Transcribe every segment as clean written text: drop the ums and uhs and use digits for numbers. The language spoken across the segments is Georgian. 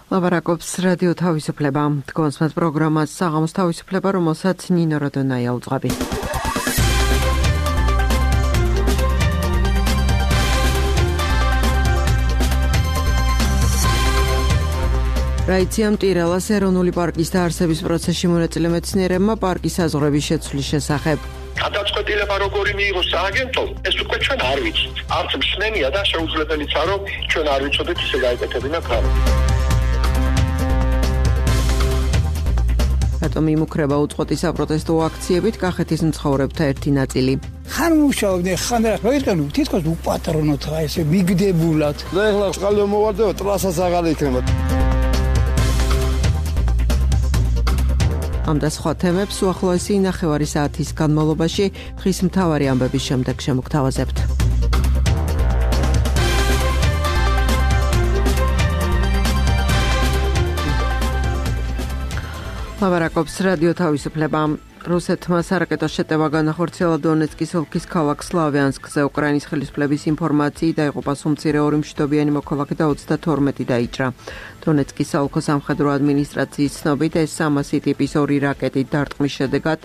ლაპარაკობს რადიო თავისუფლება. თქვენს პროგრამას საღამოს თავისუფლება, რომელსაც ნინო როდონაია უძღვები. რაიცია მტირალას ეროვნული პარკის დაარსების პროცესში მონაწილე მეცნიერებმა პარკის საზღვრების შეცვლის შესახებ. გადაწყვეტილება როგორი მიიღოს სააგენტომ, ეს უკვე ჩვენ არ ვიცით. არც მსმენია და შეუძლებელიცაა, რომ ჩვენ არ ვიცოდეთ ისე გაეკეთებინა კარი. რატომ იმუქრება უწყვეტი საპროტესტო აქციებით კახეთის მცხოვრებთა ერთი ნაწილი. ხან მუშაობდნენ, ხან რა იყენო, თითქოს უპატრონოთ რა ესე მიგდებულად. და ეხლა წყალი მოვარდება, ტრასაც აღარ იქნება. ამ და სხვა თემებს უახლოესი ნახევარი საათის განმავლობაში დღის მთავარი ამბების შემდეგ შემოგთავაზებთ. ლაპარაკობს რადიო თავისუფლება. რუსეთმა სარაკეტო შეტევა განახორციელა დონეცკის ოლქის ქალაქ სლავიანსკზე. უკრაინის ხელისუფლების ინფორმაციით დაიღუპა სუმცირე 2 მშვიდობიანი მოქალაქე და 32 დაიჭრა. დონეცკის საოლქო სამხედრო ადმინისტრაციის ცნობით, ეს 300 ტიპის 2 რაკეტით დარტყმის შედეგად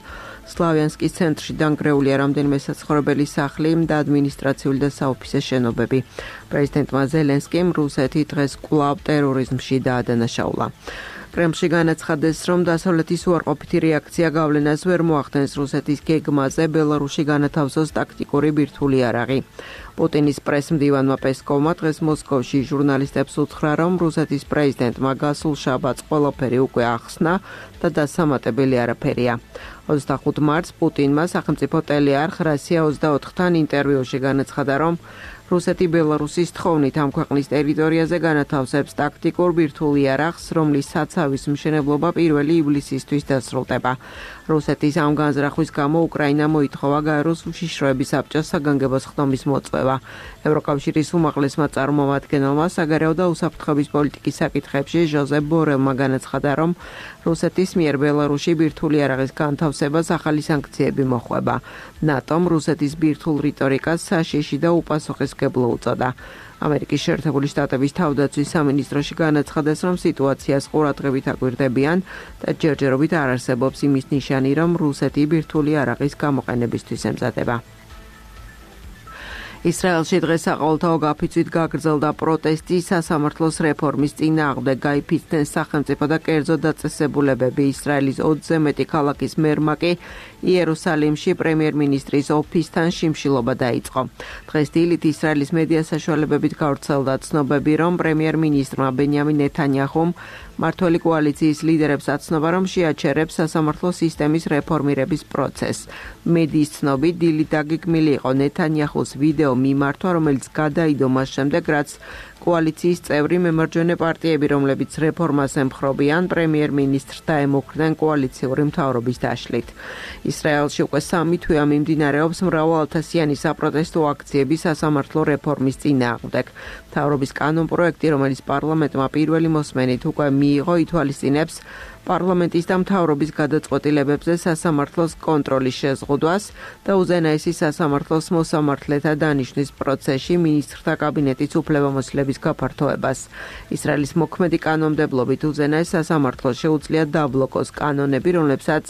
სლავიანსკის ცენტრში დანგრეულია რამდენიმე საცხოვრებელი სახლი და ადმინისტრაციული და საოფისე შენობები. პრეზიდენტმა ზელენსკიმ რუსეთი დღეს კვლავ ტერორიზმში დაადანაშაულა. კრემლში განაცხადეს, რომ დასავლეთის უარყოფითი რეაქცია გავლენას ვერ მოახდენს რუსეთის გეგმაზე ბელარუსში განათავსოს ტაქტიკური ბირთვული იარაღი. პუტინის პრესმდივანმა პესკოვმა დღეს მოსკოვში ჟურნალისტებს უთხრა, რომ რუსეთის პრეზიდენტმა გასულ შაბათს ყველაფერი უკვე ახსნა და დასამატებელი არაფერია. 25 მარტს პუტინმა სახელმწიფო ტელეარხ Россия 24-თან ინტერვიუში განაცხადა, რომ რუსეთი ბელარუსის თხოვნით ამ ქვეყნის ტერიტორიაზე განათავსებს ტაქტიკურ ბირთვულ იარაღს, რომლის საცავის მშენებლობა 1 ივლისისთვის დასრულდება. რუსეთის ამ განზრახვის გამო უკრაინა მოითხოვა გაეროს უშიშროების საბჭოს საგანგებო ხდომის მოწვევა. ევროკავშირის უმაღლესმა წარმომადგენელმა საგარეო და უსაფრთხოების პოლიტიკის საკითხებში ჟოზეფ ბორელმა განაცხადა, რომ რუსეთის მიერ ბელარუსში ბირთვული იარაღის განთავსებას ახალი სანქციები მოხვება. ნატომ რუსეთის ბირთვულ რიტორიკას საშიში და უპასუხისმგებლო უწოდა. ამერიკის შეერთებული შტატების თავდაცვის სამინისტროში განაცხადეს, რომ სიტუაციას ყურადღებით აკვირდებიან და ჯერჯერობით არ არსებობს იმის ნიშანი, რომ რუსეთი ბირთვული იარაღის გამოყენებისთვის ემზადება. ისრაელში დღეს საყოველთაო გაფიცვით გაგრძელდა პროტესტი სასამართლოს რეფორმის წინააღმდეგ. გაიფიცნენ სახელმწიფო და კერძო დაწესებულებები. ისრაელის 20-ზე მეტი ქალაქის მერმა კი იერუსალიმში პრემიერ-მინისტრის ოფისთან შიმშილობა დაიწყო. დღეს დილით ისრაელის მედია საშუალებებით გავრცელდა ცნობები, რომ პრემიერ-მინისტრმა ბენიამინ ნეთანიაჰუმ მმართველი კოალიციის ლიდერებს აცნობა, რომ შეაჩერებს სასამართლო სისტემის რეფორმირების პროცესს. მედიის ცნობით დილით დაგეგმილი იყო ნეთანიაჰუს ვიდეო მიმართვა, რომელიც გადაიდო მას შემდეგ, რაც კოალიციის წევრი მემარჯვენე პარტიები, რომლებიც რეფორმას ემხრობიან, პრემიერ-მინისტრს დაემუქრნენ კოალიციური მთავრობის დაშლით. ისრაელში უკვე 3 თვეა მიმდინარეობს მრავალათასიანი საპროტესტო აქციები სასამართლო რეფორმის წინააღმდეგ. მთავრობის კანონპროექტი, რომელიც პარლამენტმა პირველი მოსმენით უკვე მიიღო, ითვალისწინებს პარლამენტის და მთავრობის გადაწყვეტილებებზე სასამართლოს კონტროლის შეზღუდვას და უზენაესი სასამართლოს მოსამართლეთა დანიშვნის პროცესში მინისტრთა კაბინეტის უფლებამოსილების გაფართოებას. ისრაელის მოქმედი კანონმდებლობით უზენაეს სასამართლოს შეუძლია დაბლოკოს კანონები, რომლებსაც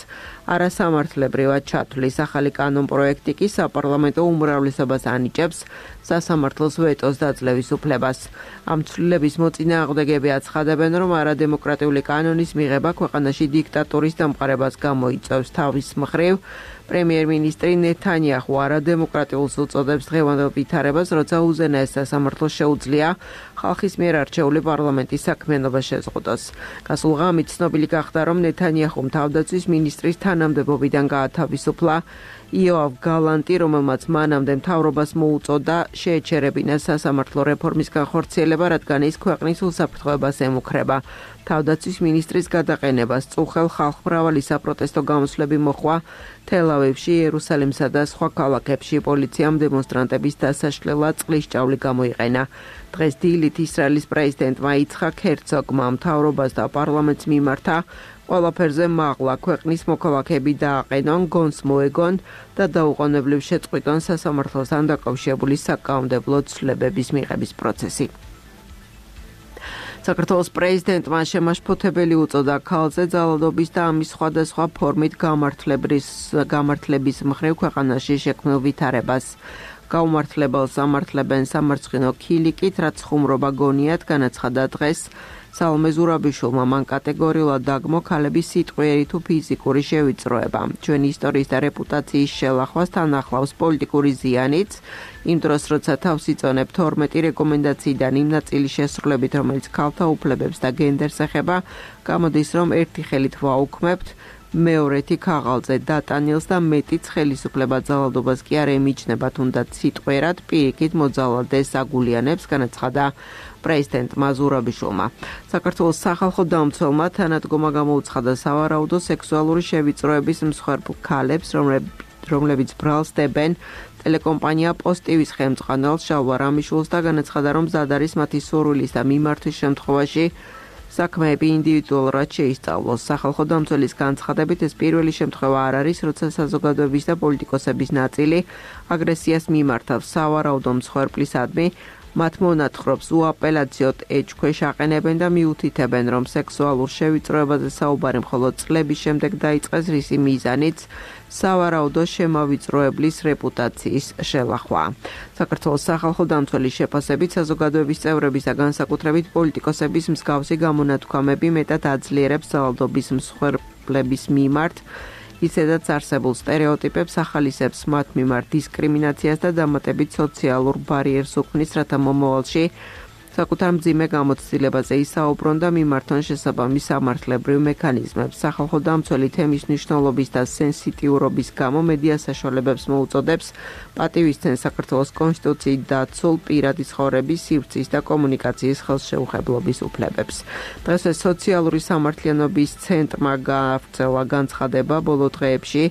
არასამართლებრივად ჩათვლის. ახალი კანონპროექტი კი საპარლამენტო უმრავლესობას ანიჭებს სასამართლოს ვეტოს დაძლევის უფლებას. ამ ცვლილების მოწინააღმდეგეები აცხადებენ, რომ არადემოკრატიული კანონის მიღება ქვეყანაში დიქტატურის დამყარებას გამოიწვევს. თავის მხრივ პრემიერ-მინისტრი ნეთანიაჰუ არადემოკრატიულს უწოდებს დღევანდელ ვითარებას, როცა უზენაეს სასამართლოს შეუძლია ხალხის მიერ არჩეული პარლამენტის საქმიანობა შეზღუდოს. გასულ ღამით ცნობილი გახდა, რომ ნეთანიაჰუმ თავდაცვის მინისტრის თანამდებობიდან გაათავისუფლა იოავ გალანტი, რომელმაც მანამდე მთავრობას მოუწოდა შეეჩერებინა სასამართლო რეფორმის განხორციელება, რადგან ის ქვეყნის უსაფრთხოებას ემუქრება. თავდაცვის მინისტრის გადაყენებას წუხელ ხალხმრავალი საპროტესტო გამოსვლები მოხვა თელ-ავივში, იერუსალიმსა და სხვა ქალაქებში. პოლიციამ დემონსტრანტების დასაშლელად წყლის ჭავლი გამოიყენა. დღეს დილით ისრაელის პრეზიდენტმა იცხაკ ჰერცოგმა მთავრობას და პარლამენტს მიმართა ყველაფერზე მაღლა ქვეყნის მოქალაქეები დააყენონ, გონს მოეგონ და დაუყოვნებლივ შეწყვიტონ სასამართლოსთან დაკავშირებული საკანონმდებლო ცვლილებების მიღების პროცესი. საქართველოს პრეზიდენტმა შემაშფოთებელი უწოდა ქალზე ძალადობის და ამის სხვადასხვა ფორმით გამართლების მხრივ ქვეყანაში შექმნილ ვითარებას. გაუმართლებელს ამართლებენ სამარცხინო ქილიკით, რაც ხუმრობა გონიათ, განაცხადა დღეს სალომე ზურაბიშვილმა. მან კატეგორიულად დაგმო ქალების სიტყვიერი თუ ფიზიკური შევიწროება. ჩვენი ისტორიის და რეპუტაციის შელახვას თან ახლავს პოლიტიკური ზიანიც. იმ დროს, როცა თავს იწონებ 12 რეკომენდაციიდან იმ ნაწილის შესრულებით, რომელიც ქალთა უფლებებს და გენდერს ეხება, გამოდის, რომ ერთი ხელით ვაუქმებთ, მეორეთი ქაღალზე დატანილს და მეტიც ხელისუფლება ძალადობას კი არ ემიჯნება, თუნდაც სიტყვიერად პირიქით მოძალადეს აგულიანებს, განაცხადა პრეზიდენტმა ზურაბიშვილმა. საქართველოს სახალხო დამცველმა თანადგომა გამოუცხადა სავარაუდო სექსუალური შევიწროების მსხვერპლ ქალებს, რომლებიც ბრალს დებენ ტელეკომპანია პოსტივის ხელმძღვანელს შალვა რამიშვილს და განაცხადა, რომ მზად არის მათი სურვილის და მიმართვის შემთხვევაში საქმეები ინდივიდუალურად შეისწავლოს. სახალხო დამცველის განცხადებით ეს პირველი შემთხვევა არ არის, როცა საზოგადოების და პოლიტიკოსების ნაწილი აგრესიას მიმართავს სავარაუდო მსხვერპლისადმი. მათ მონათხრობს უაპელაციოდ ეჭქვეშ აყენებენ და მიუთითებენ, რომ სექსუალურ შევიწროებაზე საუბარი მხოლოდ წლების შემდეგ დაიწყეს, რისი მიზანიც სავარაუდო შემავიწროებლის რეპუტაციის შელახვა. საქართველოს სახალხო დამცველის შეფასებით საზოგადოების წევრების და განსაკუთრებით პოლიტიკოსების მსგავსი გამონათქვამები მეტად აძლიერებს ძალადობის მსხვერპლების მიმართ ისედაც არსებულ სტერეოტიპებს, ახალისებს მათ მიმართ დისკრიმინაციას და დამატებით სოციალურ ბარიერს უქმნის, რათა მომავალში საკუთარ მძიმე გამოცდილებაზე ისაუბრონ და მიმართონ შესაბამის სამართლებრივ მექანიზმებს. სახალხო დამცველი თემის მნიშვნელობის და სენსიტიურობის გამო მედია საშუალებებს მოუწოდებს პატივისცემ საქართველოს კონსტიტუციით დაცულ პირადი ცხოვრების, სივრცის და კომუნიკაციის ხელშეუხებლობის უფლებებს. დღეს სოციალური სამართლიანობის ცენტრმა გაავრცელა განცხადება ბოლო დღეებში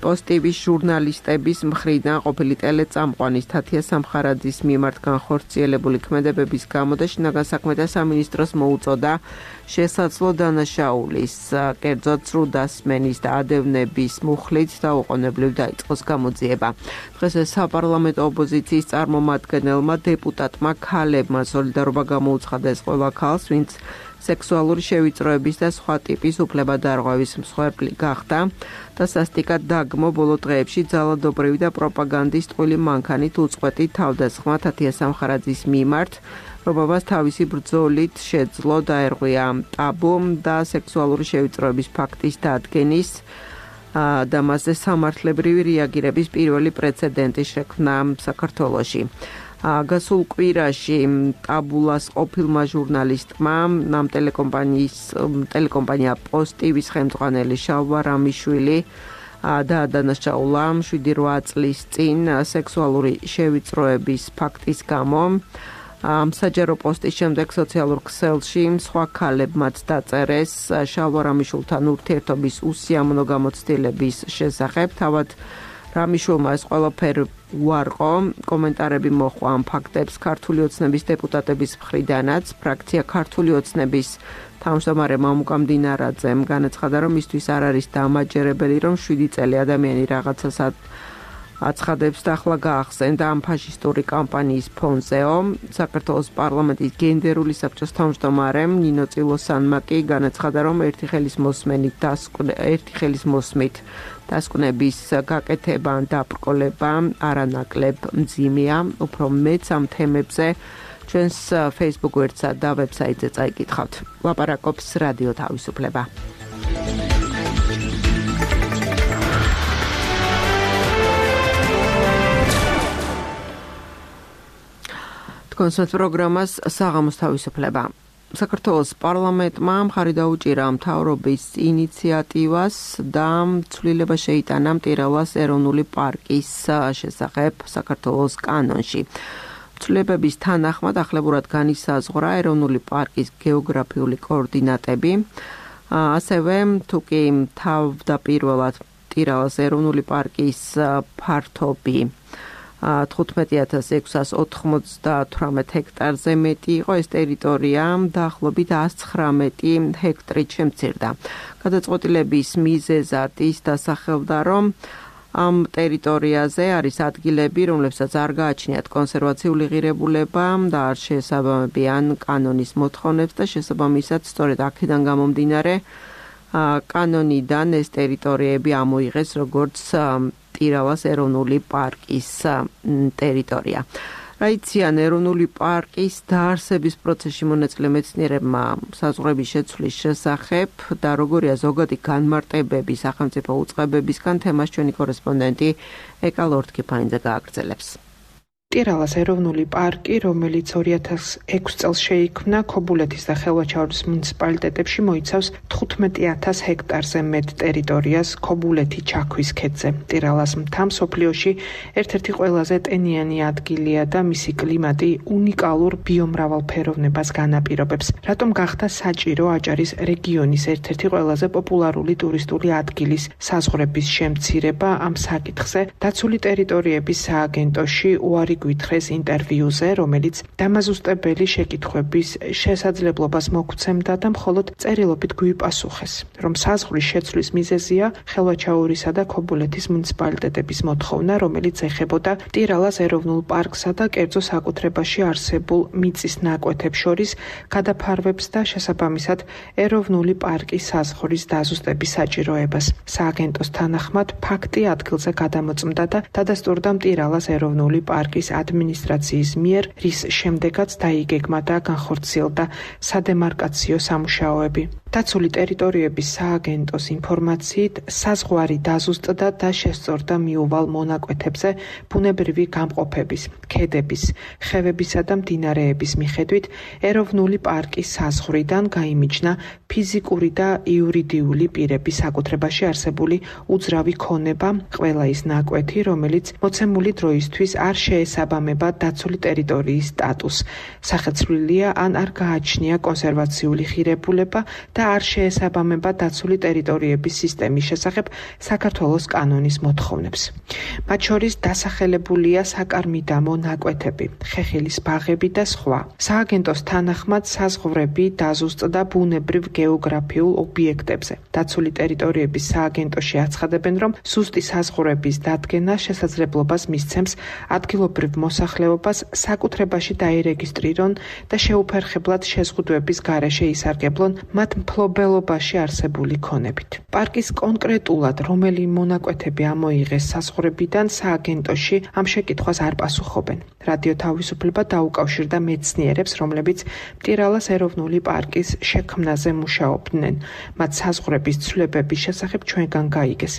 პოსტივის ჟურნალისტების მხრიდან ყოფილი ტელეწამყვანის თათია სამხარაძის მიმართ განხორციელებული ქმედებების გამო და შინაგან საქმეთა სამინისტროს მოუწოდა შესაძლო დანაშაულის, კერძოდ ცრუდასმენის და ადევნების მუხლით დაუყოვნებლივ დაიწყოს გამოძიება. დღეს საპარლამენტო ოპოზიციის წარმომადგენელმა დეპუტატმა ქალებმა სოლიდარობა გამოუცხადა ყველა ქალს, ვინც სექსუალური შევიწროების და სხვა ტიპის უფლებადარღვევის მსხვერპლი გახდა და სასტიკად დაგმო ბოლო დღეებში ძალადობრივი და პროპაგანდის ტყუილი მანქანით უწყვეტი თავდასხმა თათია სამხარაძის მიმართ, რომელმაც თავისი ბრძოლით შეძლო დაერღვია ტაბუ და სექსუალური შევიწროების ფაქტის დადგენის და მასზე სამართლებრივი რეაგირების პირველი პრეცედენტი შექმნა საქართველოში. გასულ კვირაში ტაბულას ყოფილმა ჟურნალისტმა ამ ტელეკომპანია პოსტივის ხელმძღვანელი შალვა რამიშვილი დაადანაშაულა 7-8 წლის წინ სექსუალური შევიწროების ფაქტის გამო. საჯარო პოსტის შემდეგ სოციალურ ქსელში სხვა ქალებმაც დაწერეს შალვა რამიშვილთან ურთიერთობის უსიამოვნო გამოცდილების შესახებ. თავად რამიშვილმა ეს ყველაფერი უარყო, კომენტარები მოჰყვა ამ ფაქტებს ქართული ოცნების დეპუტატების მხრიდანაც. ფრაქცია ქართული ოცნების თავმჯდომარე მამუკა მდინარაძემ განაცხადა, რომ მისთვის არ არის დამაჯერებელი, რომ 7 წელი ადამიანი რაღაცას აცხადებს და ახლა გაახსენდა ამ ფაშისტური კამპანიის ფონზეო. საქართველოს პარლამენტის გენდერული საბჭოს თავმჯდომარე ნინო წილოსანმა კი განაცხადა, რომ ერთი ხელის მოსმით დასკვნების გაკეთება ან დაბრკოლება არანაკლებ მძიმეა. უფრო მეც ამ თემებზე ჩვენს Facebook ვებსაიტსა და ვებსაიტზე წაიკითხავთ. ლაპარაკობს რადიო თავისუფლება. კონსერტ პროგრამას საღამოს თავისუფლება. საქართველოს პარლამენტმა მხარი დაუჭირა მთავრობის ინიციატივას და ცვლილება შეიტანა მტირალას ეროვნული პარკის შესახებ საქართველოს კანონში. ცვლილებების თანახმად ახლებურად განისაზღვრა ეროვნული პარკის გეოგრაფიული კოორდინატები. ასევე თუკი თავდაპირველად მტირალას ეროვნული პარკის ფართობი 15698 ჰექტარზე მეტი იყო, ეს ტერიტორია დაახლოებით 119 ჰექტრით შემცირდა. გადაწყვეტილების მიზეზად ის დასახელდა, რომ ამ ტერიტორიაზე არის ადგილები, რომლებსაც არ გააჩნიათ კონსერვაციული ღირებულება და არ შეესაბამებიან კანონის მოთხოვნებს და შესაბამისად სწორედ აქედან გამომდინარე კანონიდან ეს ტერიტორიები ამოიღეს როგორც ტირალას ეროვნული პარკის ტერიტორია. რაიციან ეროვნული პარკის დაარსების პროცესში მონაწილე მეცნიერებმა საზღვრების შეცვლის შესახებ და როგორია ზოგადი განმარტებები სახელმწიფო უწყებებისგან თემას ჩვენი კორესპონდენტი ეკა ლორთქიფაინძე გააგრძელებს. ტირალას ეროვნული პარკი, რომელიც 2006 წელს შეიქმნა ქობულეთის და ხელვაჩაურის მუნიციპალიტეტებში მოიცავს 15,000 ჰექტარზე მეტ ტერიტორიას ქობულეთი ჩაქვის ქედზე. ტირალას მთა მსოფლიოში ერთ-ერთი ყველაზე ტენიანი ადგილია და მისი კლიმატი უნიკალურ ბიომრავალფეროვნებას განაპირობებს. რატომ გახდა საჭირო აჭარის რეგიონის ერთ-ერთი ყველაზე პოპულარული ტურისტული ადგილის საზღვრების შემცირება ამ საკითხზე დაცული ტერიტორიების სააგენტოში უარი გვითხრეს ინტერვიუზე, რომელიც დამაზუსტებელი შეკითხვების შესაძლებლობას მოგცემდა და მხოლოდ წერილობით გვიპასუხეს, რომ საზღვრის შეცვლის მიზეზია ხელვაჩაურისა და ქობულეთის მუნიციპალიტეტების მოთხოვნა, რომელიც ეხებოდა ტირალას ეროვნულ პარკსა და კერძო საკუთრებაში არსებულ მიწის ნაკვეთებს შორის გადაფარვებს და შესაბამისად ეროვნული პარკის საზღვრის დაზუსტების საჭიროებას. სააგენტოს თანახმად ფაქტი ადგილზე გადამოწმდა და დადასტურდა ტირალას ეროვნული პარკის ადმინისტრაციის მიერ, რის შემდეგაც დაიგეგმა და განხორციელდა სადემარკაციო სამუშაოები. დაცული ტერიტორიების სააგენტოს ინფორმაციით, საზღვარი დაზუსტდა და შესწორდა მიუვალ მონაკვეთებზე ბუნებრივი გამყოფების, ქედების, ხევებისა და მდინარეების მიხედვით ეროვნული პარკის საზღვრიდან გაიმიჯნა ფიზიკური და იურიდიული პირების საკუთრებაში არსებული უძრავი ქონება, ყველა ის ნაკვეთი, რომელიც მოცემული დროისთვის არ შეესაბამება დაცული ტერიტორიის სტატუსს, სახეცვლილია ან არ გააჩნია კონსერვაციული ღირებულება და არ შეესაბამება დაცული ტერიტორიების სისტემის შესახებ საქართველოს კანონის მოთხოვნებს. მათ შორის დასახელებულია საკარმიდამო ნაკვეთები, ხეხილის ბაღები და სხვა. სააგენტოს თანახმად საზღვრები დაზუსტდა ბუნებრივ გეოგრაფიულ ობიექტებზე. დაცული ტერიტორიების სააგენტოში აცხადებენ, რომ ზუსტი საზღვრების დადგენა შესაძლებლობას მისცემს ადგილობრივ მოსახლეობას საკუთრებაში დაირეგისტრირონ და შეუფერხებლად შეზღუდვების გარეშე ისარგებლონ მათ მფლობელობაში არსებული ქონებით. პარკის კონკრეტულად რომელი მონაკვეთები ამოიღეს საზღვრებიდან სააგენტოში ამ შეკითხვას არ პასუხობენ. რადიო თავისუფლება დაუკავშირდა მეცნიერებს, რომლებიც ტირალას ეროვნული პარკის შექმნაზე მუშაობდნენ. მათ საზღვრების ცვლილებების შესახებ ჩვენგან გაიგეს.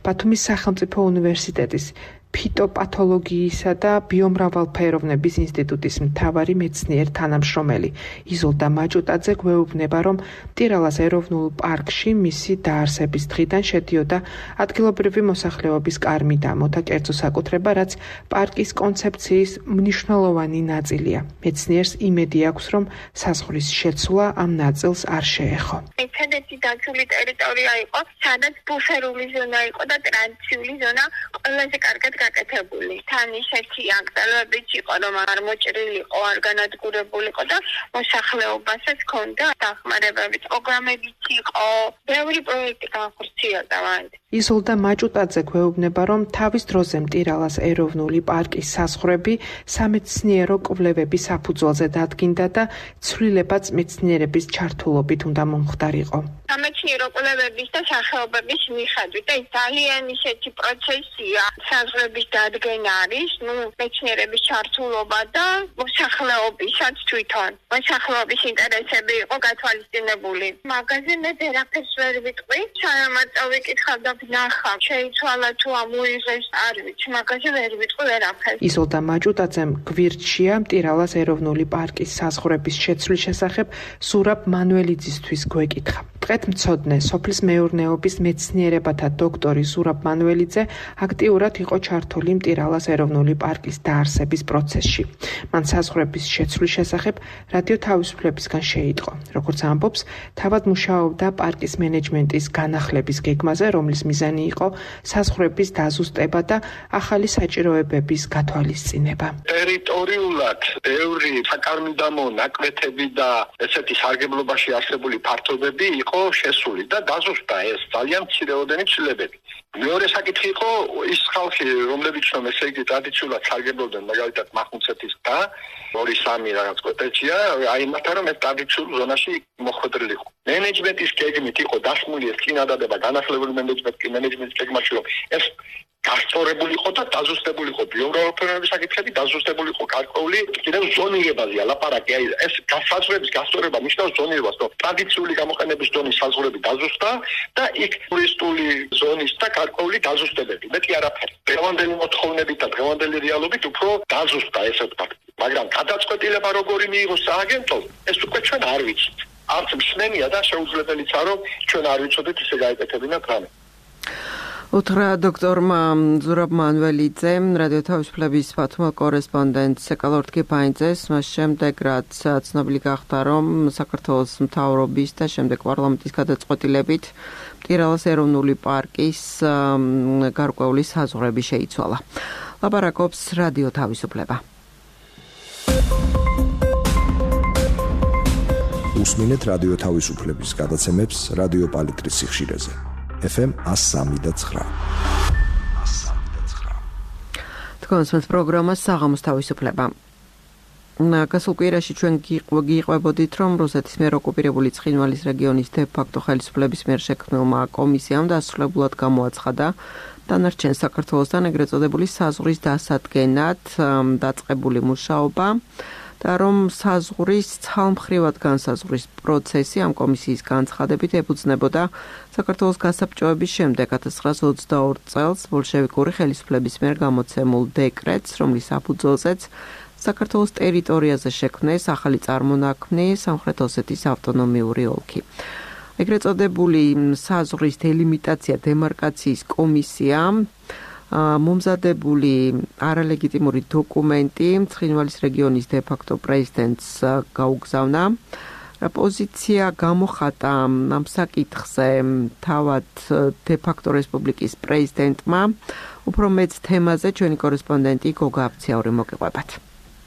ბათუმის სახელმწიფო უნივერსიტეტის ფიტოპათოლოგიისა და ბიომრავალფეროვნების ინსტიტუტის მთავარი მეცნიერ თანამშრომელი იზოლდა მაჭუტაძე გვეუბნება, რომ ტირალას ეროვნულ პარკში მისი დაარსების დღიდან შედიოდა ადგილობრივი მოსახლეობის კარმიდამო და კერძო საკუთრება, რაც პარკის კონცეფციის მნიშვნელოვანი ნაწილია. მეცნიერს იმედი აქვს, რომ საზღვრის შეცვლა ამ ნაწილს არ შეეხო. ერთადერთი დაცული ტერიტორია იყო, სადაც ბუფერული ზონა იყო და ტრანზიციული ზონა ყველაზე კარგად გაკეთებული. თან ისეთი აკრძალვებიც იყო, რომ არ მოჭრილიყო, არ განადგურებულიყო და მოსახლეობასაც ჰქონდა დახმარებები, პროგრამებიც იყო, ბევრი პროექტი განხორციელდა მანდ. იზოლდა მაჭუტაძე გვეუბნება, რომ თავის დროზე ტირალას ეროვნული პარკის საზღვრები სამეცნიერო კვლევების საფუძველზე დადგინდა და ცვლილებაც მეცნიერების ჩართულობით უნდა მომხდარიყო. სამეცნიერო კვლევების და სახეობების მიხედვით და ძალიან ისეთი პროცესია, საზღვრების დადგენა არის, მეცნიერების ჩართულობა და მოსახლეობისაც თვითონ. მოსახლეობის ინტერესები იყო გათვალისწინებული. მაგაზე მე ვერაფერს ვერ ვიტყვი, სანამ ვიკითხავ და ვნახავ, შეიცვალა თუ ამოიღეს, არ ვიცი, მაგაზე ვერ ვიტყვი ვერაფერს. იზოლდა მაჭუტაძემ გვირჩია ტირალას ეროვნული პარკის საზღვრების შეცვლის შესახებ ზურაბ მანველიძისთვის გვეკითხა. მწყეთმცოდნე სოფლის მეურნეობის მეცნიერებათა დოქტორი ზურაბ მანველიძე აქტიურად იყო ჩართული ტირალას ეროვნული პარკის დაარსების პროცესში. მან საზღვრების შეცვლის შესახებ რადიო თავისუფლებისგან შეიტყო. როგორც ამბობს, თავად მუშაობდა პარკის მენეჯმენტის განახლების გეგმაზე, რომლის მიზანი იყო საზღვრების დაზუსტება და ახალი საჭიროებების გათვალისწინება. ტერიტორიულად ბევრი საკარმიდამო ნაკვეთები და ესეთი სარგებლობაში არსებული ფართობები იყო იყო შესული და დაზუსტა ეს ძალიან მცირეოდენი ცვლილებები. მეორე საკითხი იყო ის ხალხი, რომლებიც რომ ესე იგი ტრადიციულად სარგებლობდნენ მაგალითად მახუნცეთის და 2-3 რაღაც კვოტეჩია, აი მათთან რომ ეს ტრადიციულ ზონაში მოხვედრილი იყო. მენეჯმენტის გეგმით იყო დასმული ეს წინადადება განახლებული მენეჯმენტის გეგმაში რომ ეს გასწორებული იყო და დაზუსტებული იყო ბიუროკრატიული საკითხები, დაზუსტებული იყო გარკვეული კიდევ ზონირებაზეა ლაპარაკი. აი ეს საზღვრების გასწორება ნიშნავს ზონირებას, რომ ტრადიციული გამოყენების ზონის საზღვრები დაზუსტა და იქ ტურისტული ზონის და გარკვეული დაზუსტებები. მეტი არაფერი. დღევანდელი მოთხოვნებით და დღევანდელი რეალობით უფრო დაზუსტა ესე ვთქვათ. მაგრამ გადაწყვეტილება როგორი მიიღოს სააგენტომ, ეს უკვე ჩვენ არ ვიცით. არც მსმენია და შეუძლებელია რომ ჩვენ არ ვიცოდეთ ისე გაეკეთებინათ რამე. უთხრა დოქტორმა ზურაბ მანველიძემ, რადიო თავისუფლების ბათუმელ კორესპონდენტს ეკალორტ კიფაინძეს, მას შემდეგ რაც ცნობილი გახდა, რომ საქართველოს მთავრობის და შემდეგ პარლამენტის გადაწყვეტილებით მტირალას ეროვნული პარკის გარკვეული საზღვრები შეიცვალა. ლაპარაკობს რადიო თავისუფლება. უსმინეთ რადიო თავისუფლების გადაცემებს რადიო პალიტრის სიხშირეზე. FM 103.9. თქვენს პროგრამას საღამოს თავისუფლება. გასულ კვირაში ჩვენ გიყვებოდით, რომ რუსეთის მიერ ოკუპირებული ცხინვალის რეგიონის დე-ფაქტო ხელისუფლების მიერ შექმნილმა კომისიამ დასრულებულად გამოაცხადა დანარჩენ საქართველოსთან ეგრეთ წოდებული საზღვრის დასადგენად დაწყებული მუშაობა. და რომ საზღვრის ცალმხრივად განსაზღვრის პროცესი ამ კომისიის განცხადებით ეფუძნებოდა საქართველოს გასაბჭოების შემდეგ 1922 წელს ბოლშევიკური ხელისუფლების მიერ გამოცემულ დეკრეტს, რომლის საფუძველზეც საქართველოს ტერიტორიაზე შექმნეს ახალი წარმონაქმნი სამხრეთ ოსეთის ავტონომიური ოლქი. ეგრეთ წოდებული საზღვრის დელიმიტაცია დემარკაციის კომისია მომზადებული არალეგიტიმური დოკუმენტი ცხინვალის რეგიონის დე-ფაქტო პრეზიდენტს გაუგზავნა. პოზიცია გამოხატა ამ საკითხზე თავად დე-ფაქტო რესპუბლიკის პრეზიდენტმა. უფრო მეც თემაზე ჩვენი კორესპონდენტი გოგა აფციაური მოგიყვებათ.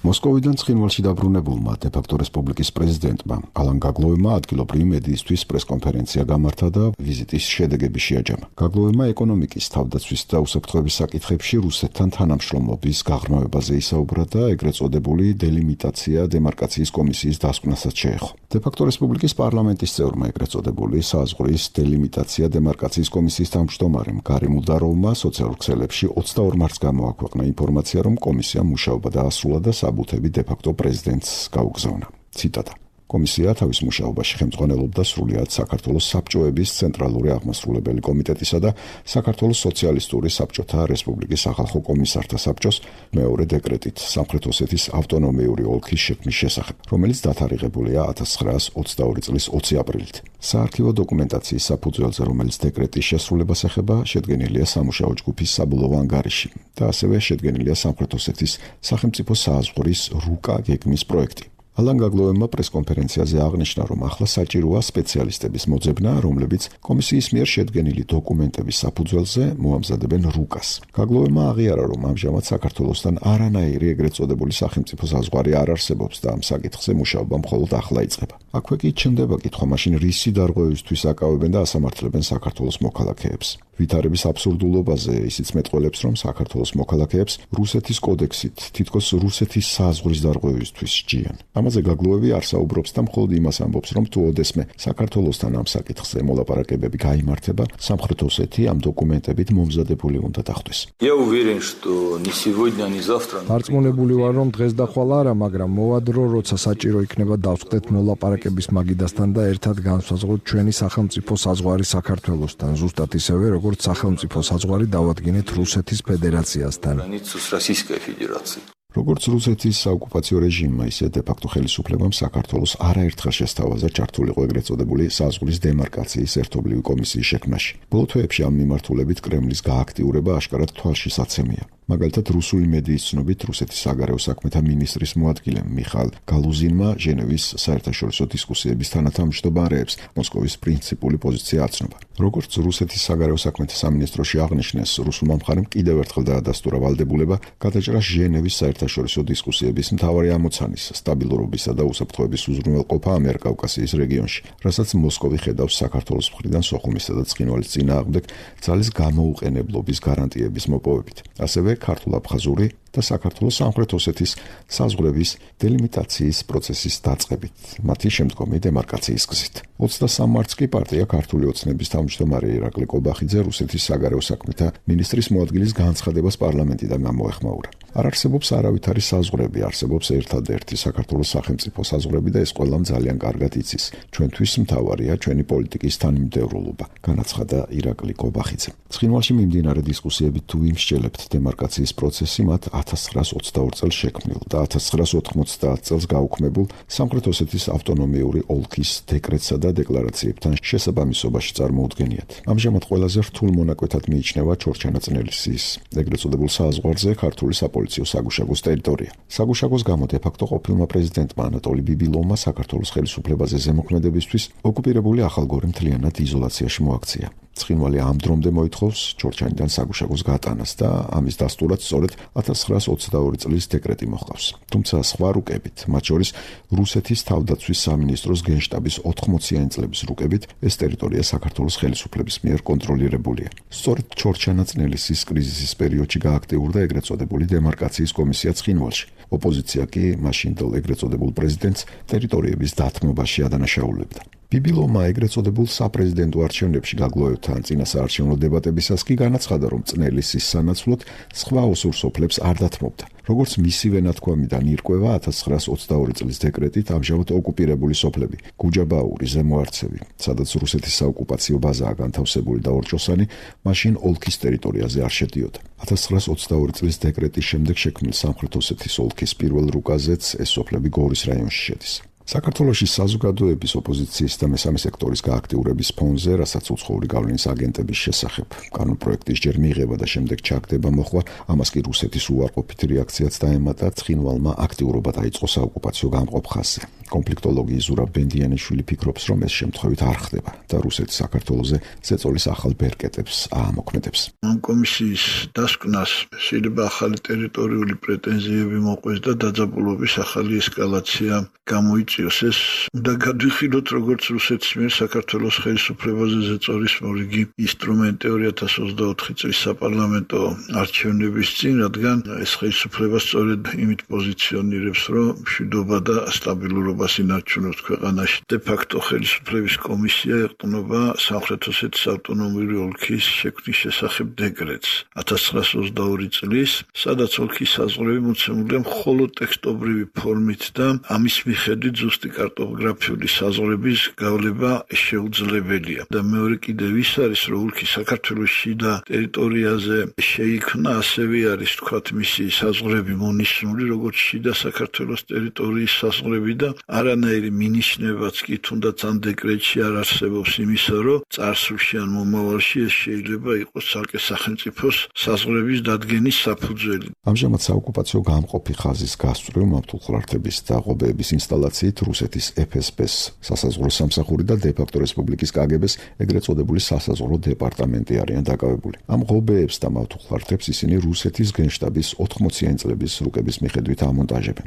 მოსკოვიდან ცხინვალში დაბრუნებულმა დე-ფაქტო რესპუბლიკის პრეზიდენტმა ალან გაგლოევმა ადგილობრივი მედიისთვის პრესკონფერენცია გამართა და ვიზიტის შედეგები შეაჯამა. გაგლოევმა ეკონომიკის, თავდაცვის და უსაფრთხოების საკითხებში რუსეთთან თანამშრომლობის გაღრმავებაზე ისაუბრა და ეგრეთ წოდებული დელიმიტაცია დემარკაციის კომისიის დასკვნასაც შეეხო. დე-ფაქტო რესპუბლიკის პარლამენტის წევრმა ეგრეთ წოდებული საზღვრის დელიმიტაცია დემარკაციის კომისიის თავმჯდომარემ გარიმ უდაროვმა სოციალურ ქსელებში 22 მარტს გამოაქვეყნა ინფორმაცია, რომ კომისია მუშაობა დაასრულა და საბუთები დე-ფაქტო პრეზიდენტს გაუგზავნა. ციტატა. კომისია თავის მუშაობაში ხელმძღვანელობდა სრულიად საქართველოს საბჭოების ცენტრალური აღმასრულებელი კომიტეტისა და საქართველოს სოციალისტური საბჭოთა რესპუბლიკის სახალხო კომისართა საბჭოს მეორე დეკრეტით სამხრეთ ოსეთის ავტონომიური ოლქის შექმნის შესახებ, რომელიც დათარიღებულია 1922 წლის 20 აპრილით. საარქივო დოკუმენტაციის საფუძველზე, რომელიც დეკრეტის შესრულებას ეხება, შედგენილია სამუშაო ჯგუფის საბოლოო ანგარიში და ასევე შედგენილია სამხრეთ ოსეთის სახელმწიფო საზღვრის რუკა გეგმის პროექტი. ალან გაგლოევმა პრესკონფერენციაზე აღნიშნა, რომ ახლა საჭიროა სპეციალისტების მოძებნა, რომლებიც კომისიის მიერ შედგენილი დოკუმენტების საფუძველზე მოამზადებენ რუკას. გაგლოევმა აღიარა, რომ ამჟამად საქართველოსთან არანაირი ეგრეთ წოდებული სახელმწიფო საზღვარი არ არსებობს და ამ საკითხზე მუშაობა მხოლოდ ახლა იწყება. აქვე კი ჩნდება კითხვა, მაშინ რისი დარღვევისთვის აკავებენ და ასამართლებენ საქართველოს მოქალაქეებს. ვითარების აბსურდულობაზე ისიც მეტყველებს, რომ საქართველოს მოქალაქეებს რუსეთის კოდექსით თითქოს რუსეთის საზღვრის დარღვევისთვის სჯიან. ამაზე გაგლოევი არ საუბრობს და მხოლოდ იმას ამბობს, რომ თუ ოდესმე საქართველოსთან ამ საკითხზე მოლაპარაკებები გაიმართება, სამხრეთ ოსეთი ამ დოკუმენტებით მომზადებული უნდა დახვდეს. დარწმუნებული ვარ, რომ დღეს და ხვალ არა, მაგრამ მოვა დრო, როცა საჭირო იქნება დავწყდეთ მოლაპარაკების მაგიდასთან და ერთად განსაზღვროთ ჩვენი სახელმწიფო საზღვარი საქართველოსთან, ზუსტად ისევე, როგორც სახელმწიფო საზღვარი დავადგინეთ რუსეთის ფედერაციასთან. როგორც რუსეთის საოკუპაციო რეჟიმმა, ისე დე-ფაქტო ხელისუფლებამ საქართველოს არაერთხელ შესთავაზა ჩართულიყო ეგრეთ წოდებული საზღვრის დემარკაციის ერთობლივი კომისიის შექმნაში. ბოლო თვეებში ამ მიმართულებით კრემლის გააქტიურება აშკარად თვალშისაცემია. მაგალითად, რუსული მედიის ცნობით, რუსეთის საგარეო საქმეთა მინისტრის მოადგილემ მიხაილ გალუზინმა ჟენევის საერთაშორისო დისკუსიების თანათავმჯდომარეებს მოსკოვის პრინციპული პოზიცია აცნობა. როგორც რუსეთის საგარეო საქმეთა სამინისტროში აღნიშნეს, რუსულმა მხარემ კიდევ ერთხელ დაადასტურა ვალდებულება გადაჭრა ჟენევის საერთაშორისო დისკუსიების მთავარი ამოცანის სტაბილურობისა და უსაფრთხოების უზრუნველყოფა ამიერკავკასიის რეგიონში, რასაც მოსკოვი ხედავს საქართველოს მხრიდან სოხუმისა და ცხინვალის წინააღმდეგ ძალის გამოუყენებლობის გარანტიების მოპოვებით. ასევე ქართულ-აფხაზური და საქართველოს სამხრეთ ოსეთის საზღვრების დელიმიტაციის პროცესის დაწყებით, მათი შემდგომი დემარკაციის გზით. 23 მარტს კი პარტია ქართული ოცნების თავმჯდომარე ირაკლი კობახიძე რუსეთის საგარეო საქმეთა მინისტრის მოადგილის განცხადებას პარლამენტიდან გამოეხმაურა. არ არსებობს არავითარი საზღვრები, არსებობს ერთადერთი საქართველოს სახელმწიფო საზღვრები და ეს ყველამ ძალიან კარგად იცის. ჩვენთვის მთავარია ჩვენი პოლიტიკის თანმიმდევრულობა, განაცხადა ირაკლი კობახიძე. ცხინვალში მიმდინარე დისკუსიებით თუ იმსჯელებთ დემარკაციის პროცესი მათ 1922 წელს შექმნილ და 1990 წელს გაუქმებულ სამხრეთ ოსეთის ავტონომიური ოლქის დეკრეტსა და დეკლარაციებთან შესაბამისობაში წარმოუდგენიათ. ამჟამად ყველაზე რთულ მონაკვეთად მიიჩნევა ჩორჩანაწნელისის ეგრეთ წოდებულ საზღვარზე ქართული საპოლიციო საგუშაგოს ტერიტორია. საგუშაგოს გამო დე-ფაქტო ყოფილმა პრეზიდენტმა ანატოლი ბიბილოვმა საქართველოს ხელისუფლებაზე ზემოქმედებისთვის ოკუპირებული ახალგორი მთლიანად იზოლაციაში მოაქცია. ცხინვალი ამ დრომდე მოითხოვს ჩორჩანიდან საგუშაგოს გატანას და ამის დასტურად სწორედ 1922 წლის დეკრეტი მოჰყავს. თუმცა სხვა რუკებით, მათ შორის რუსეთის თავდაცვის სამინისტროს გენშტაბის 80-იანი წლების რუკებით, ეს ტერიტორია საქართველოს ხელისუფლების მიერ კონტროლირებულია. სწორედ ჩორჩანაწნელისის კრიზისის პერიოდში გააქტიურდა ეგრეთ წოდებული დემარკაციის კომისია ცხინვალში. ოპოზიცია კი მაშინდელ ეგრეთ წოდებულ პრეზიდენტს ტერიტორიების დათმობაში ადანაშაულებდა. ბიბილოვმა ეგრეთ წოდებულ საპრეზიდენტო არჩევნებში გაგლოვებთან წინასაარჩევნო დებატებისას კი განაცხადა, რომ წნელისის სანაცვლოდ სხვა ოსურსოფლებს არ დათმობდა. როგორც მისივე ნათქვამიდან ირკვევა 1922 წლის დეკრეტით ამჟამად ოკუპირებული სოფლები, გუჯაბაური, ზემო არცევი, სადაც რუსეთის საოკუპაციო ბაზაა განთავსებული და ორჭოსანი, მაშინ ოლქის ტერიტორიაზე არ შედიოდა. 1922 წლის დეკრეტის შემდეგ შექმნილ სამხრეთ ოსეთის ოლქის პირველ რუკაზეც ეს სოფლები გორის რაიონში შედის. საქართველოში საზოგადოების ოპოზიციის და მესამე სექტორის გააქტიურების ფონზე, რასაც უცხოური გავლენის აგენტების შესახებ კანონპროექტის ჯერ მიღება და შემდეგ ჩაგდება მოხდა, ამას კი რუსეთის უარყოფითი რეაქციაც დაემატა, ცხინვალმა აქტიურობა დაიწყო საოკუპაციო გამყოფ ხაზზე. კონფლიქტოლოგი ზურაბ ბენდიანიშვილი ფიქრობს, რომ ეს შემთხვევით არ ხდება და რუსეთი საქართველოზე ზეწოლის ახალ ბერკეტებს აამოქმედებს. ამ კომისიის დასკვნას შეიძლება ახალი ტერიტორიული პრეტენზიები მოყვეს და დაძაბულობის ახალი ესკალაცია გამოიწვიოს. ეს უნდა გადვიხილოთ, როგორც რუსეთის მიერ საქართველოს ხელისუფლებაზე ზეწოლის მორიგი ინსტრუმენტი 2024 წლის საპარლამენტო არჩევნების წინ, რადგან ეს ხელისუფლება სწორედ იმით პოზიციონირებს, რომ მშვიდობა და სტაბილურობას ინარჩუნებს ქვეყანაში. დე-ფაქტო ხელისუფლების კომისია ეყრდნობა სამხრეთ ოსეთის ავტონომიური ოლქის შექმნის შესახებ დეკრეტს 1922 წლის, სადაც ოლქის საზღვრები მოცემულია მხოლოდ ტექსტობრივი ფორმით და ამის მიხედვით ზუსტი კარტოგრაფიული საზღვრების გავლება შეუძლებელია. და მეორე კიდევ ის არის, რომ ოლქი საქართველოს შიდა ტერიტორიაზე შეიქმნა, ასევე არის თქვათ მისი საზღვრები მონიშნული, როგორც შიდა საქართველოს ტერიტორიის საზღვრები და არანაირი მინიშნებაც კი თუნდაც ამ დეკრეტში არ არსებობს იმისა, რომ წარსულში ან მომავალში ეს შეიძლება იყოს ცალკე სახელმწიფოს საზღვრების დადგენის საფუძველი. ამჟამად საოკუპაციო გამყოფი ხაზის გასწვრივ მავთულხლართების და ღობეების ინსტალაციით რუსეთის FSB-ს სასაზღვრო სამსახური და დე-ფაქტო რესპუბლიკის KGB-ს ეგრეთ წოდებული სასაზღვრო დეპარტამენტი არიან დაკავებული. ამ ღობეებს და მავთულხლართებს ისინი რუსეთის გენშტაბის 80-იანი წლების რუკების მიხედვით ამონტაჟებენ.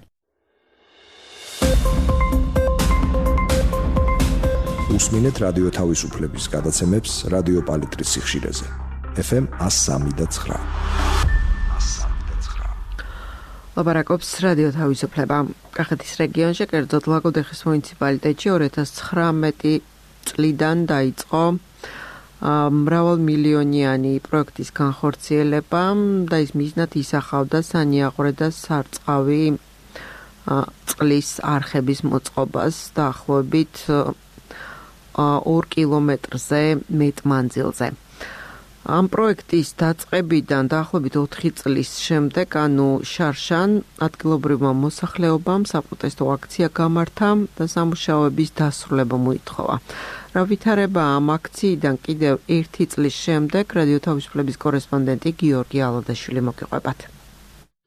უსმინეთ რადიო თავისუფლების გადაცემებს რადიო პალიტრის სიხშირეზე. FM 103.9. ლაპარაკობს რადიო თავისუფლება. კახეთის რეგიონში, კერძოდ ლაგოდეხის მუნიციპალიტეტში 2019 წლიდან დაიწყო მრავალმილიონიანი პროექტის განხორციელება და ის მიზნად ისახავდა სანიაღვრე და სარწყავი წყლის არხების მოწყობას დაახლოებით 2 კილომეტრზე მეტ მანძილზე. ამ პროექტის დაწყებიდან დაახლოებით 4 წლის შემდეგ, ანუ შარშან ადგილობრივმა მოსახლეობამ საპროტესტო აქცია გამართა და სამუშაოების დასრულება მოითხოვა. რა ვითარება ამ აქციიდან კიდევ 1 წლის შემდეგ რადიო თავისუფლების კორესპონდენტი გიორგი ალადაშვილი მოგიყვებათ.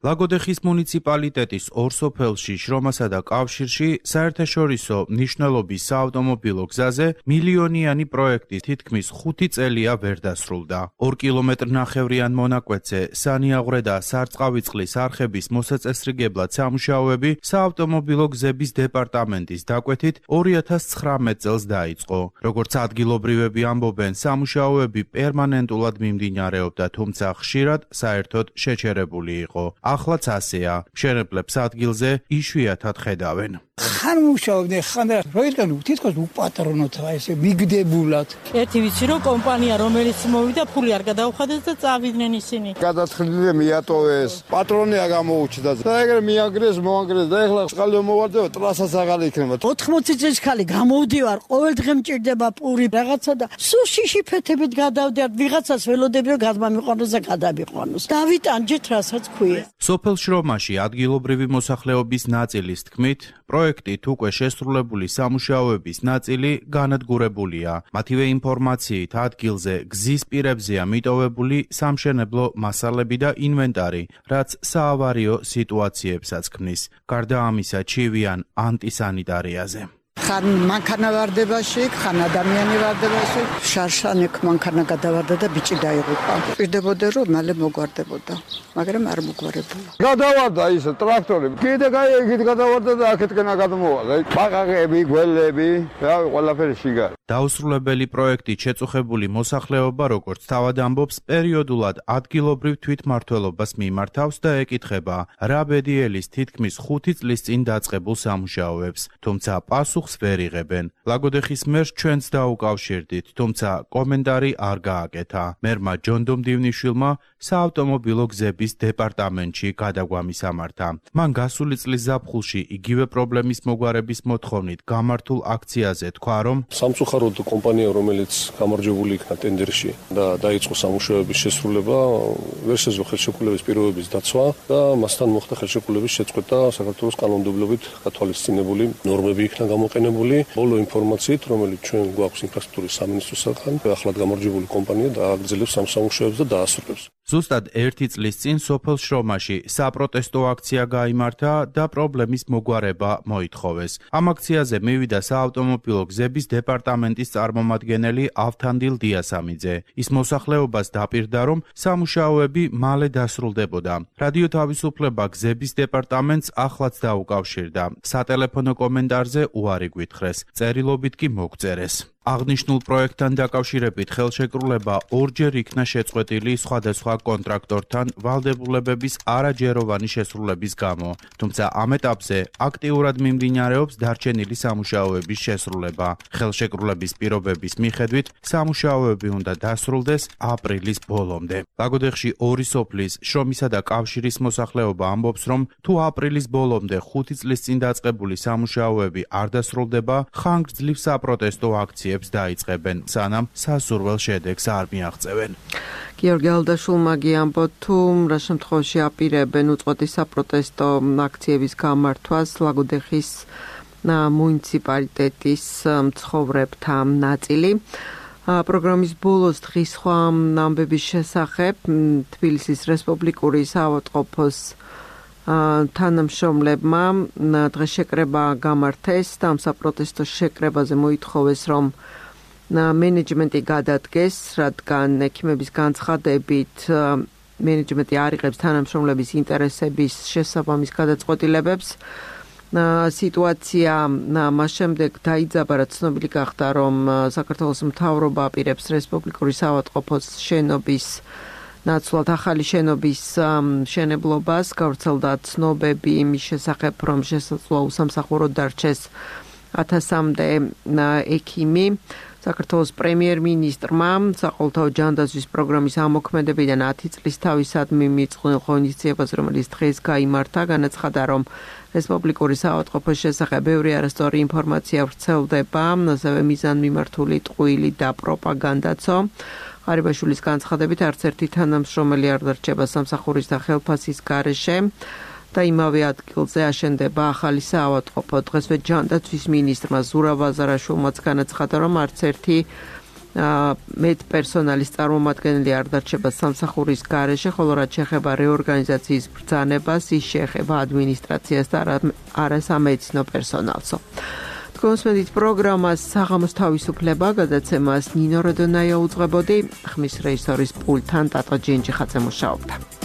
ლაგოდეხის მუნიციპალიტეტის ორ სოფელში, შრომასა და კავშირში საერთაშორისო მნიშვნელობის საავტომობილო გზაზე მილიონიანი პროექტი თითქმის 5 წელია ვერ დასრულდა. 2 კილომეტრნახევრიან მონაკვეთზე სანიაღვრე და სარწყავიწყლის არხების მოსაწესრიგებლად სამუშაოები საავტომობილო გზების დეპარტამენტის დაკვეთით 2019 წელს დაიწყო. როგორც ადგილობრივები ამბობენ, სამუშაოები პერმანენტულად მიმდინარეობდა, თუმცა ხშირად საერთოდ შეჩერებული იყო. Ახლაც ასეა, მშენებლებს ადგილზე იშვიათად ხედავენ. ხან მუშაობდნენ, ხან როიდან თითქოს უპატრონოთ რა ესე მიგდებულად. ერთი ვიცი რომ კომპანია რომელიც მოვიდა ფული არ გადაუხადეს და წავიდნენ ისინი. გადათხრილი მიატოვეს, პატრონია გამოუჩნდა და ეგრე მიაგრეს, მოანგრეს და ეხლა წყალი მოვარდება, ტრასაც აღარ იქნება. 80 წლის ხალი გამოვდივარ, ყოველ დღე მჭირდება პური რაღაცა და სულ შიშიფეთებით გადავდივარ, ვიღაცას ველოდები რომ გადმამიყვანოს და გადამიყვანოს. დავიტანჯეთ რასაც ქვია. სოფელ შრომაში ადგილობრივი მოსახლეობის ნაწილის თქმით, პროექტით უკვე შესრულებული სამუშაოების ნაწილი განადგურებულია. მათივე ინფორმაციით ადგილზე გზის პირებზეა მიტოვებული სამშენებლო მასალები და ინვენტარი, რაც საავარიო სიტუაციებსაც ქმნის. გარდა ამისა, ჩივიან ანტისანიტარიაზე. ხან მანქანა ვარდებაში, ხან ადამიანი ვარდებაში. შარშანეკ მანქანა გადავარდა და ბიჭი დაიღუპა. პირდებოდა რომ მალე მოგვარდებოდა, მაგრამ არ მოგვარებულა. გადავარდა ის ტრაქტორი. კიდე გაიგით გადავარდა და აქეთკენ გადმოვალა. ბაყაყები, გველები, რავი, ყველაფერი შიგარ. დაუსრულებელი პროექტით შეწუხებული მოსახლეობა, როგორც თავად ამბობს, პერიოდულად ადგილობრივ თვითმმართველობას მიმართავს და ეკითხება, რა ბედიელის თითქმის 5 წლის წინ დაწყებულ სამუშაოებს, თუმცა პასუხს ვერ იღებენ. ლაგოდეხის მერს ჩვენც დაუკავშირდით, თუმცა კომენტარი არ გააკეთა. მერმა ჯონდომ დივნიშვილმა საავტომობილო გზების დეპარტამენტში გადაგვამის ამართა. მან გასული წლის ზაფხულში იგივე პრობლემის მოგვარების მოთხოვნით გამართულ აქციაზე თქვა, რომ სამწუხაროდ კომპანია, რომელიც გამარჯვებული იქნა ტენდერში და დაიწყო სამუშაოების შესრულება, ვერ შეძლო ხელშეკრულების პირობების დაცვა და მასთან მოხდა ხელშეკრულების შეწყვეტა საქართველოს კანონმდებლობით გათვალისწინებული ნორმები იქნა გამოყენებული. ბოლო ინფორმაციით, რომელიც ჩვენ გვაქვს ინფრასტრუქტურის სამინისტროსაგან, ახლად გამარჯვებული კომპანია დააგრძელებს ამ სამუშაოებს და დაასრულებს. ზუსტად 1 წლის წინ სოფელ შრომაში საპროტესტო აქცია გაიმართა და პრობლემის მოგვარება მოითხოვეს. ამ აქციაზე მივიდა საავტომობილო გზების დეპარტამენტის წარმომადგენელი ავთანდილ დიასამიძე. ის მოსახლეობას დაპირდა, რომ სამუშაოები მალე დასრულდებოდა. რადიო თავისუფლება გზების დეპარტამენტს ახლაც დაუკავშირდა. სატელეფონო კომენტარზე უარი გვითხრეს, წერილობით კი მოგწერეს. აღნიშნულ პროექტთან დაკავშირებით ხელშეკრულება ორჯერ იქნა შეწყვეტილი სხვადასხვა კონტრაქტორთან ვალდებულებების არაჯეროვანი შესრულების გამო, თუმცა ამ ეტაპზე აქტიურად მიმდინარეობს დარჩენილი სამუშაოების შესრულება. ხელშეკრულების პირობების მიხედვით სამუშაოები უნდა დასრულდეს აპრილის ბოლომდე. ლაგოდეხში ორი სოფლის, შრომისა და კავშირის მოსახლეობა ამბობს, რომ თუ აპრილის ბოლომდე 5 წლის წინ დაწყებული სამუშაოები არ დასრულდება, ხანგრძლივ საპროტესტო აქციებს დაიწყებენ, სანამ სასურველ შედეგს არ მიაღწევენ. გიორგი ალადაშვილმა გიამბო, თუ რა შემთხვევაში აპირებენ უწყვეტი საპროტესტო აქციების გამართვას ლაგოდეხის მუნიციპალიტეტის მცხოვრებთა ნაწილი. პროგრამის ბოლოს დღის სხვა ამბების შესახებ თბილისის რესპუბლიკური საავადმყოფოს თანამშრომლებმა დღეს შეკრება გამართეს და ამ საპროტესტო შეკრებაზე მოითხოვეს, რომ მენეჯმენტი გადადგეს, რადგან ექიმების განცხადებით მენეჯმენტი არ იღებს თანამშრომლების ინტერესების შესაბამის გადაწყვეტილებებს. სიტუაცია მას შემდეგ დაიძაბა, რაც ცნობილი გახდა, რომ საქართველოს მთავრობა აპირებს რესპუბლიკური საავადმყოფოს შენობის ნაცვლად ახალი შენობის მშენებლობას. გავრცელდა ცნობები იმის შესახებ, რომ შესაძლოა უსამსახურო დარჩეს 1000-მდე ექიმი. საქართველოს პრემიერ-მინისტრმა საყოველთაო ჯანდაცვის პროგრამის ამოქმედებიდან 10 წლის თავისადმი მიწყვილ ინიციატივაზე, რომელიც დღეს გაიმართა, განაცხადა, რომ რესპუბლიკური საავადმყოფოს შესახებ ბევრი არასწორი ინფორმაცია ვრცელდება, ასევე მიზანმიმართული ტყუილი და პროპაგანდაცო. ღარიბაშვილის განცხადებით არც ერთი თანამშრომელი არ დარჩება სამსახურის და ხელფასის გარეშე და იმავე ადგილზე აშენდება ახალი საავადმყოფო. დღესვე ჯანდაცვის მინისტრმა ზურაბ აზარაშვილმაც განაცხადა, რომ არც ერთი მედპერსონალის წარმომადგენელი არ დარჩება სამსახურის გარეშე, ხოლო რაც შეეხება რეორგანიზაციის ბრძანებას, ის შეეხება ადმინისტრაციას და არა სამედიცინო პერსონალსო. კონსმედით პროგრამას საღამოს თავისუფლება გადაცემას ნინო როდონაია უძღვებოდი, ხმის რეჟისორის პულტთან ტატო ჯინჯიხაძე მუშაობდა.